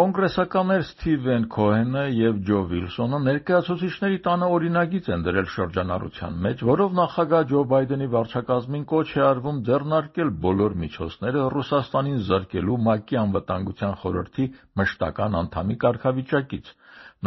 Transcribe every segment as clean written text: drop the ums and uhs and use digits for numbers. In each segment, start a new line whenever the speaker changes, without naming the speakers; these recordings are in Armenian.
Կոնգրեսականներ Սթիվեն Քոհենը և Ջո Վիլսոնը ներկայացուցիչների տանը օրինագիծ են դրել շրջանառության մեջ, որով նախագահ Ջո Բայդենի վարչակազմին կոչ է արվում ձեռնարկել բոլոր միջոցները Ռուսաստանին զրկելու ՄԱԿ-ի Անվտանգության խորհրդի մշտական անդամի կարգավիճակից։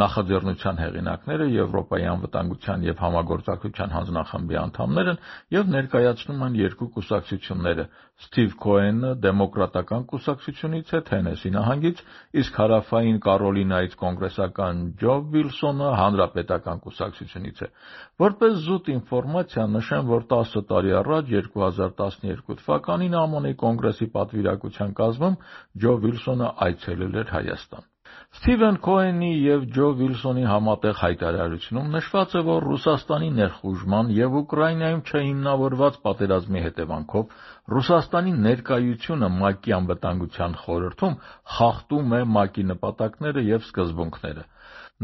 Նախաձեռնության հեղինակները Եվրոպայի անվտանգության և համագործակցության հանձնախմբի անդամներ են և ներկայացնում են երկու կուսակցությունները։ Սթիվ Քոհենը դեմոկրատական կուսակցությունից է Թենեսի նահանգից, իսկ հարավային Կարոլինայից կոնգրեսական Ջո Վիլսոնը հանրապետական կուսակցությունից է։ Որպես զուտ ինֆորմացիա նշեմ, որ 10 տարի առաջ 2012 թվականին ԱՄՆ-ի կոնգրեսի պատվիրակության կազմում Ջո Վիլսոնը այցելել էր Հայաստան։ Սթիվեն Քոհենի և Ջո Վիլսոնի համատեղ հայտարարությունում նշված է, որ Ռուսաստանի ներխուժման և Ուկրաինայում չհիմնավորված պատերազմի հետևանքով Ռուսաստանի ներկայությունը ՄԱԿ-ի Անվտանգության խորհրդում խախտում է ՄԱԿ-ի նպատակները և սկզբունքները։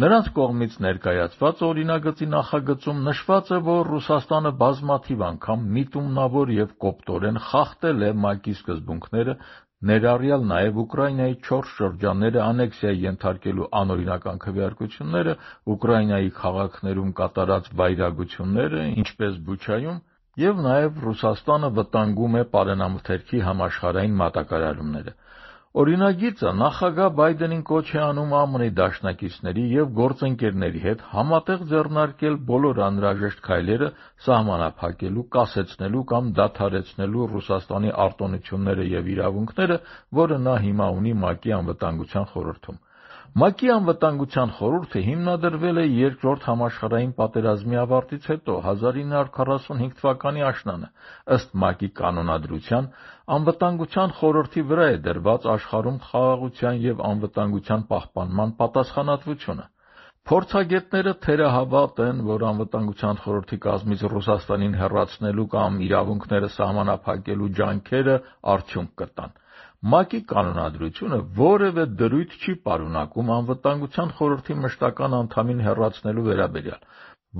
Նրանց կողմից ներկայացված օրինագծի նախագծում նշված է, որ Ռուսաստանը բազմաթիվ անգամ միտումնավոր և կոպտորեն խախտել է ՄԱԿ-ի սկզբունքները, ներառյալ նաև Ուկրաինայի 4 շրջանները անեքսիայի ենթարկելու անօրինական քվեարկությունները, Ուկրաինայի քաղաքներում կատարած վայրագությունները, ինչպես Բուչայում, և նաև Ռուսաստանը վտանգում է պարենամթերքի համաշխարհային մատակարարումները։ Օրինագիծը նախագահ Բայդենին կոչ է անում ԱՄՆ-ի դաշնակիցների և գործընկերների հետ համատեղ ձեռնարկել բոլոր անհրաժեշտ քայլերը սահմանափակելու, կասեցնելու կամ դադարեցնելու Ռուսաստանի արտոնությունները և իրավունքները, որը նա հիմա ունի ՄԱԿ-ի Անվտանգության խորհրդում։ ՄԱԿ-ի Անվտանգության խորհուրդը հիմնադրվել է Երկրորդ համաշխարհային պատերազմի ավարտից հետո 1945 թվականի աշնանը։ Ըստ ՄԱԿ-ի կանոնադրության, Անվտանգության խորհրդի վրա է դրված աշխարհում խաղաղության և անվտանգության պահպանման պատասխանատվությունը։ Փորձագետները թերահավատ են, որ Անվտանգության խորհրդի կազմից Ռուսաստանին հեռացնելու կամ իրավունքները սահմանափակելու ջանքերը արդյունք կտան։ ՄԱԿ-ի կանոնադրությունը որևէ դրույթ չի պարունակում Անվտանգության խորհրդի մշտական անդամին հեռացնելու վերաբերյալ։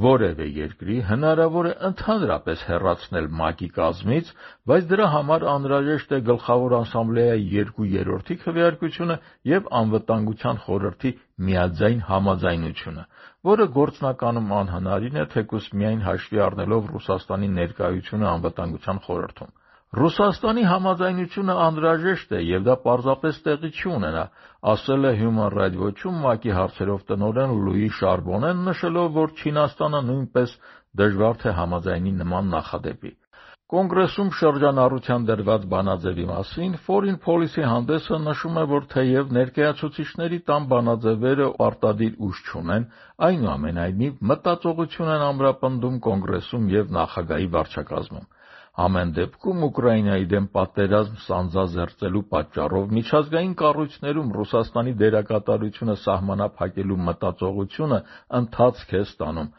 Որևէ երկրի հնարավոր է ընդհանրապես հեռացնել ՄԱԿ-ի կազմից, բայց դրա համար անհրաժեշտ է Գլխավոր ասամբլեայի 2/3 քվեարկությունը և Անվտանգության խորհրդի միաձայն համաձայնությունը, որը գործնականում անհնարին է, թեկուզ միայն հաշվի առնելով Ռուսաստանի ներկայությունը Անվտանգության խորհրդում։ Ռուսաստանի համաձայնությունը անհրաժեշտ է և դա պարզապես տեղի չի ունենա, ասել է Human Rights Watch-ում ՄԱԿ-ի հարցերով տնօրեն Լուի Շարբոնեն, նշելով, որ Չինաստանը նույնպես դժվար թե համաձայնի նման նախադեպի։ Կոնգրեսում շրջանառության դրված բանաձևի մասին Foreign Policy հանդեսը նշում է, որ թեև ներկայացուցիչների տան բանաձևերը պարտադիր ուժ չունեն, այնուամենայնիվ մտածողություն են ամրապնդում Կոնգրեսում և նախագահի վարչակազմում։ Ամեն դեպքում Ուկրաինայի դեմ պատերազմ սանձազերծելու պատճառով միջազգային կառույցներում Ռուսաստանի դերակատարությունը սահմանափակելու մտածողությունը ընթացք է ստանում։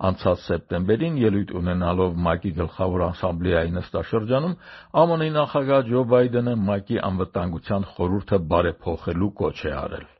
Անցած սեպտեմբերին ելույթ ունենալով ՄԱԿ-ի Գլխավոր ասամբլեայի նստաշրջանում ԱՄՆ-ի նախագահ Ջո Բայդենը ՄԱԿ-ի Անվտանգության խորհուրդը բարեփոխելու կոչ է արել։